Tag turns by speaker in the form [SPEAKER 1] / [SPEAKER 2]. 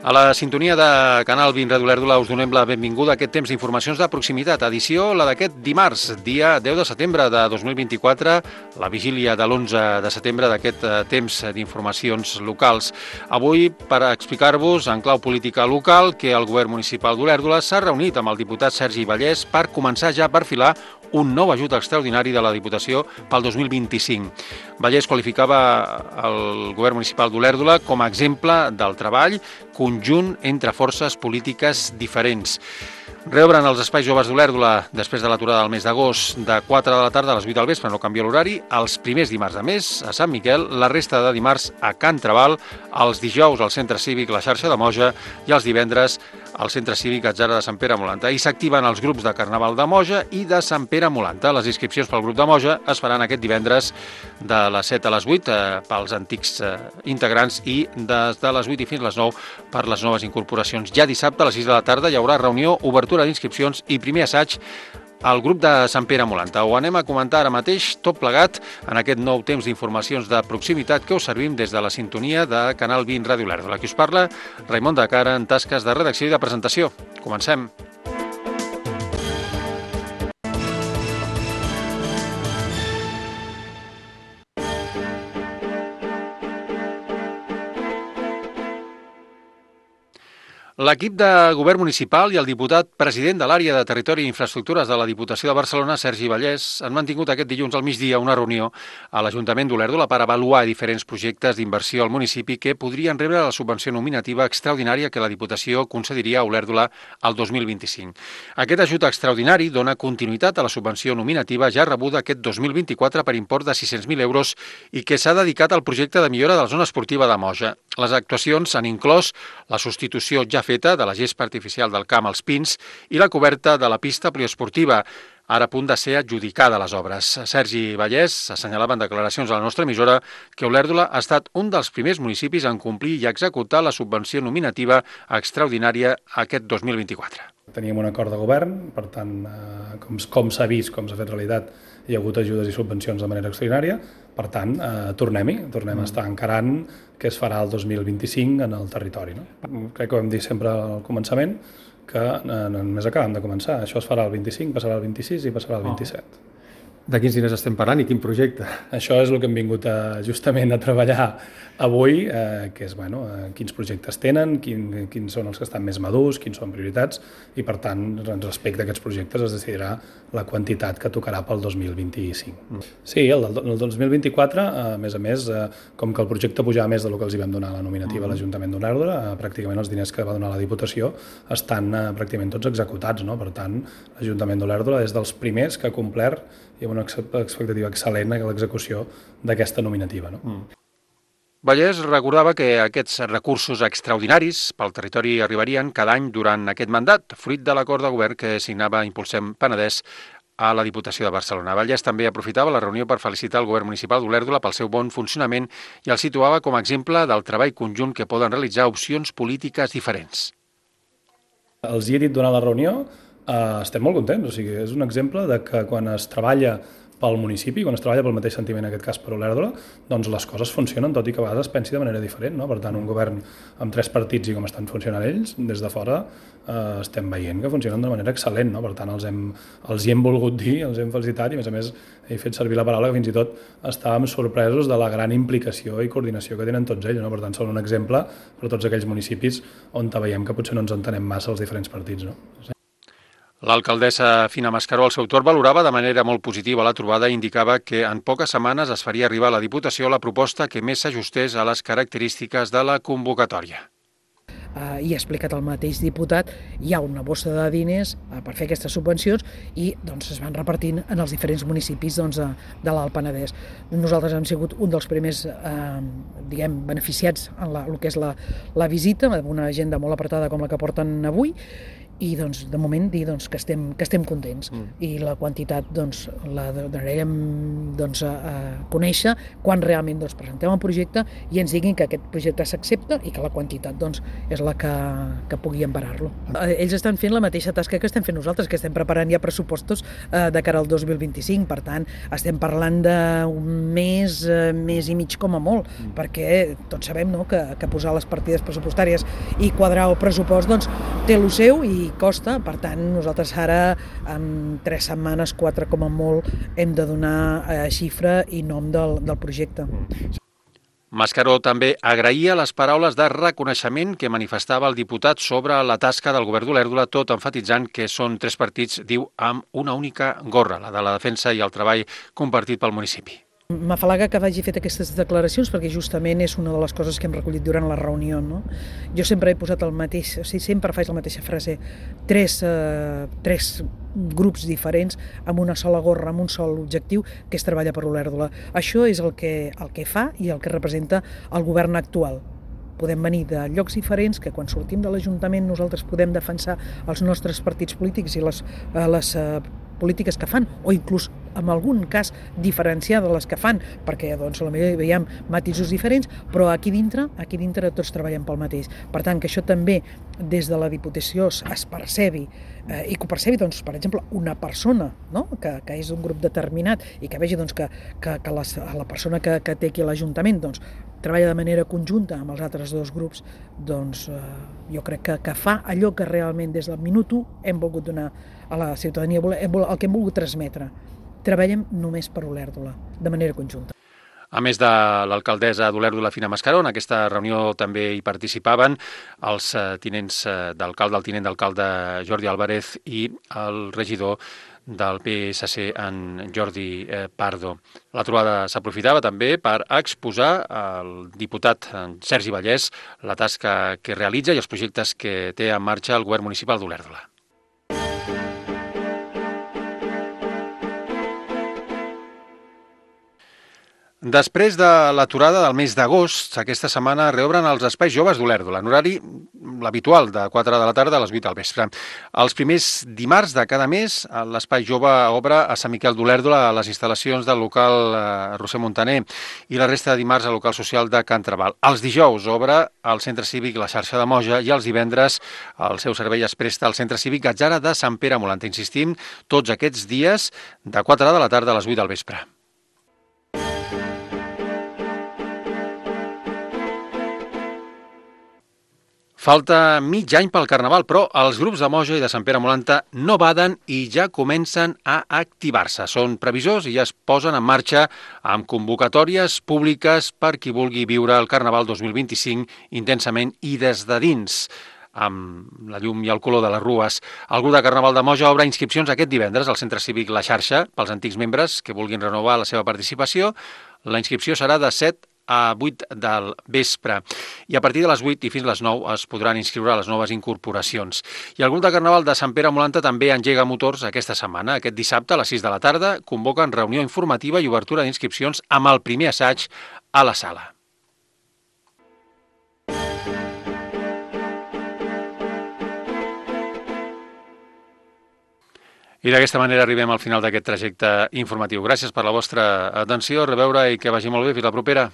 [SPEAKER 1] A la sintonia de Canal 20 Ràdio Olèrdola us donem la benvinguda a aquest temps d'informacions de proximitat, edició la d'aquest dimarts, dia 10 de setembre de 2024, la vigília de l'11 de setembre d'aquest temps d'informacions locals. Avui, per explicar-vos en clau política local que el govern municipal d'Olèrdola s'ha reunit amb el diputat Sergi Vallès per començar ja a perfilar un nou ajut extraordinari de la Diputació pel 2025. Vallès qualificava el govern municipal d'Olèrdola com a exemple del treball conjunt entre forces polítiques diferents. Reobren els espais joves d'Olèrdola després de l'aturada del mes d'agost de 4 de la tarda a les 8 del vespre, no canvia l'horari, els primers dimarts de mes a Sant Miquel, la resta de dimarts a Can Trabal, els dijous al Centre Cívic La Xarxa de Moja i els divendres al Centre Cívic Atzara de Sant Pere Molanta. I s'activen els grups de Carnaval de Moja i de Sant Pere Molanta. Les inscripcions pel grup de Moja es faran aquest divendres de les 7 a les 8 pels antics integrants i des de les 8 i fins a les 9 per les noves incorporacions. Ja dissabte a les 6 de la tarda hi haurà reunió, obertura d'inscripcions i primer assaig al grup de Sant Pere Molanta. Ho anem a comentar ara mateix, tot plegat, en aquest nou temps d'informacions de proximitat que us servim des de la sintonia de Canal 20 Ràdio Olèrdola. Aquí us parla Raimon de Cara en tasques de redacció i de presentació. Comencem. L'equip de govern municipal i el diputat president de l'àrea de Territori i Infraestructures de la Diputació de Barcelona, Sergi Vallès, han mantingut aquest dilluns al migdia una reunió a l'Ajuntament d'Olèrdola per avaluar diferents projectes d'inversió al municipi que podrien rebre la subvenció nominativa extraordinària que la Diputació concediria a Olèrdola al 2025. Aquest ajut extraordinari dona continuïtat a la subvenció nominativa ja rebuda aquest 2024 per import de 600.000 euros i que s'ha dedicat al projecte de millora de la zona esportiva de Moja. Les actuacions han inclòs la substitució ja feta de la gespa artificial del camp als Pins i la coberta de la pista poliesportiva, ara a punt de ser adjudicada a les obres. Sergi Vallès assenyalava en declaracions a la nostra emissora que Olèrdola ha estat un dels primers municipis en complir i executar la subvenció nominativa extraordinària aquest 2024.
[SPEAKER 2] Teníem un acord de govern, per tant, com s'ha vist, com s'ha fet realitat, hi ha hagut ajudes i subvencions de manera extraordinària, per tant, tornem a estar encarant què es farà el 2025 en el territori. No? Crec que ho hem dit sempre al començament, que només acabem de començar. Això es farà el 25, passarà el 26 i passarà el 27.
[SPEAKER 1] De quins diners estem parlant i quin projecte?
[SPEAKER 2] Això és el que hem vingut justament a treballar avui, que és quins projectes tenen, quins són els que estan més madurs, quins són prioritats, i per tant, respecte a aquests projectes es decidirà la quantitat que tocarà pel 2025. Sí, el 2024, a més, com que el projecte pujava més del que els hi vam donar a la nominativa a l'Ajuntament d'Olèrdola, pràcticament els diners que va donar la Diputació estan pràcticament tots executats, no? Per tant, l'Ajuntament d'Olèrdola és dels primers que ha complert i amb una expectativa excel·lent a l'execució d'aquesta nominativa. No?
[SPEAKER 1] Vallès recordava que aquests recursos extraordinaris pel territori arribarien cada any durant aquest mandat, fruit de l'acord de govern que signava Impulsem Penedès a la Diputació de Barcelona. Vallès també aprofitava la reunió per felicitar el govern municipal d'Olèrdola pel seu bon funcionament i el situava com a exemple del treball conjunt que poden realitzar opcions polítiques diferents.
[SPEAKER 2] Els hi he dit durant la reunió, estem molt contents, o sigui, és un exemple de que quan es treballa pel municipi, quan es treballa pel mateix sentiment, en aquest cas per Olèrdola, doncs les coses funcionen, tot i que a vegades es pensi de manera diferent, no? Per tant, un govern amb 3 partits i com estan funcionant ells, des de fora estem veient que funcionen de manera excel·lent, no? Per tant, els hi hem volgut dir, els hem felicitat i, a més, he fet servir la paraula que fins i tot estàvem sorpresos de la gran implicació i coordinació que tenen tots ells, no? Per tant, són un exemple per a tots aquells municipis on veiem que potser no ens entenem massa els diferents partits, no?
[SPEAKER 1] L'alcaldessa Fina Mascaró, al seu torn, valorava de manera molt positiva la trobada i indicava que en poques setmanes es faria arribar a la Diputació la proposta que més s'ajustés a les característiques de la convocatòria.
[SPEAKER 3] I ha explicat el mateix diputat, hi ha una bossa de diners per fer aquestes subvencions i es van repartint en els diferents municipis de l'Alt Penedès. Nosaltres hem sigut un dels primers beneficiats en el que és la visita, amb una agenda molt apretada com la que porten avui, i doncs, de moment dir doncs, que estem contents i la quantitat doncs, la donarem doncs, a conèixer quan realment doncs, presentem el projecte i ens diguin que aquest projecte s'accepta i que la quantitat doncs, és la que pugui emparar-lo. Ells estan fent la mateixa tasca que estem fent nosaltres, que estem preparant ja pressupostos de cara al 2025, per tant estem parlant d'un mes i mig com a molt, perquè tots sabem, no, que posar les partides pressupostàries i quadrar el pressupost doncs, té lo seu i costa, per tant nosaltres ara en 3 setmanes, 4 com a molt, hem de donar xifra i nom del projecte.
[SPEAKER 1] Mascaró també agraïa les paraules de reconeixement que manifestava el diputat sobre la tasca del govern d'Olèrdola, tot emfatitzant que són 3 partits, diu, amb una única gorra, la de la defensa i el treball compartit pel municipi.
[SPEAKER 3] M'afalaga que vagi fet aquestes declaracions perquè justament és una de les coses que hem recollit durant la reunió. No? Jo sempre he posat el mateix, o sigui, sempre faig la mateixa frase, tres grups diferents amb una sola gorra, amb un sol objectiu, que és treballar per Olèrdola. Això és el que fa i el que representa el govern actual. Podem venir de llocs diferents, que quan sortim de l'Ajuntament nosaltres podem defensar els nostres partits polítics i les polítiques que fan, o inclús en algun cas diferenciar de les que fan, perquè doncs, potser veiem matisos diferents, però aquí dintre tots treballem pel mateix. Per tant, que això també des de la Diputació es percebi, i que ho percebi, doncs, per exemple, una persona, no? que és d'un grup determinat i que vegi doncs, que la persona que té aquí a l'Ajuntament doncs, treballa de manera conjunta amb els altres 2 grups, doncs jo crec que fa allò que realment des del minut 1 hem volgut donar a la ciutadania, el que hem volgut transmetre. Treballem només per Olèrdola, de manera conjunta.
[SPEAKER 1] A més de l'alcaldessa d'Olèrdola, Fina Mascaró, en aquesta reunió també hi participaven els tinents d'alcalde, el tinent d'alcalde Jordi Álvarez i el regidor del PSC, en Jordi Pardo. La trobada s'aprofitava també per exposar al diputat Sergi Vallès la tasca que realitza i els projectes que té en marxa el govern municipal d'Olèrdola. Després de l'aturada del mes d'agost, aquesta setmana reobren els espais joves d'Olèrdola, en horari l'habitual, de 4 de la tarda a les 8 del vespre. Els primers dimarts de cada mes, l'espai jove obre a Sant Miquel d'Olèrdola, a les instal·lacions del local Roser Montaner, i la resta de dimarts al local social de Can Trabal. Els dijous obre al Centre Cívic La Xarxa de Moja i els divendres el seu servei es presta al Centre Cívic Gatzara de Sant Pere Molanta. Insistim, tots aquests dies de 4 de la tarda a les 8 del vespre. Falta mig any pel Carnaval, però els grups de Moja i de Sant Pere Molanta no baden i ja comencen a activar-se. Són previsors i ja es posen en marxa amb convocatòries públiques per qui vulgui viure el Carnaval 2025 intensament i des de dins, amb la llum i el color de les rues. El grup de Carnaval de Moja obre inscripcions aquest divendres al Centre Cívic La Xarxa pels antics membres que vulguin renovar la seva participació. La inscripció serà de 7 a 8 del vespre i a partir de les 8 i fins a les 9 es podran inscriure a les noves incorporacions. I el grup de Carnaval de Sant Pere Molanta també engega motors aquesta setmana. Aquest dissabte a les 6 de la tarda convoquen reunió informativa i obertura d'inscripcions amb el primer assaig a la sala. I d'aquesta manera arribem al final d'aquest trajecte informatiu. Gràcies per la vostra atenció, a reveure i que vagi molt bé. Fins la propera.